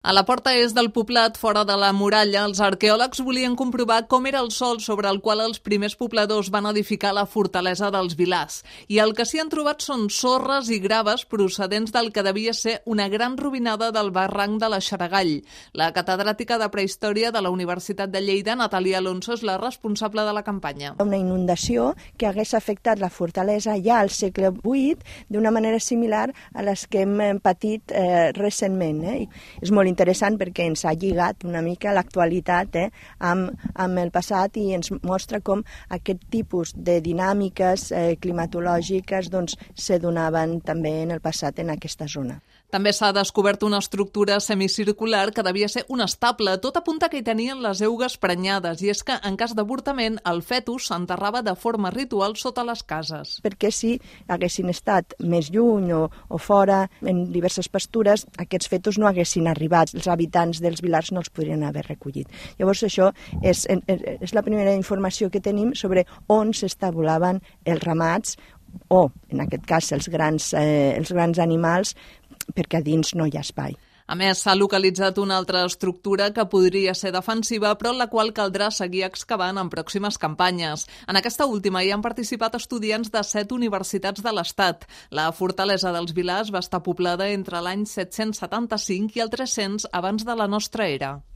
A la porta est del poblat, fora de la muralla, els arqueòlegs volien comprovar com era el sòl sobre el qual els primers pobladors van edificar la fortalesa dels Vilars. I el que s'hi han trobat són sorres i graves procedents del que devia ser una gran rovinada del barranc de la Xaragall. La catedràtica de Prehistòria de la Universitat de Lleida, Natàlia Alonso, és la responsable de la campanya. Una inundació que hagués afectat la fortalesa ja al segle VIII d'una manera similar a les que hem patit recentment. És molt interessant perquè ens ha lligat una mica l'actualitat amb el passat i ens mostra com aquest tipus de dinàmiques climatològiques se donaven també en el passat en aquesta zona. També s'ha descobert una estructura semicircular que devia ser un estable. Tot apunta que hi tenien les eugues prenyades i és que en cas d'avortament el fetus s'enterrava de forma ritual sota les cases. Perquè si haguessin estat més lluny o fora en diverses pastures, aquests fetus no haguessin arribat. Els habitants dels Vilars no els podrien haver recollit. Llavors això és la primera informació que tenim sobre on s'estabulaven els ramats o, en aquest cas, els grans animals, perquè a dins no hi ha espai. A més, s'ha localitzat una altra estructura que podria ser defensiva, però en la qual caldrà seguir excavant en pròximes campanyes. En aquesta última hi han participat estudiants de 7 universitats de l'Estat. La fortalesa dels Vilars va estar poblada entre l'any 775 i el 300 abans de la nostra era.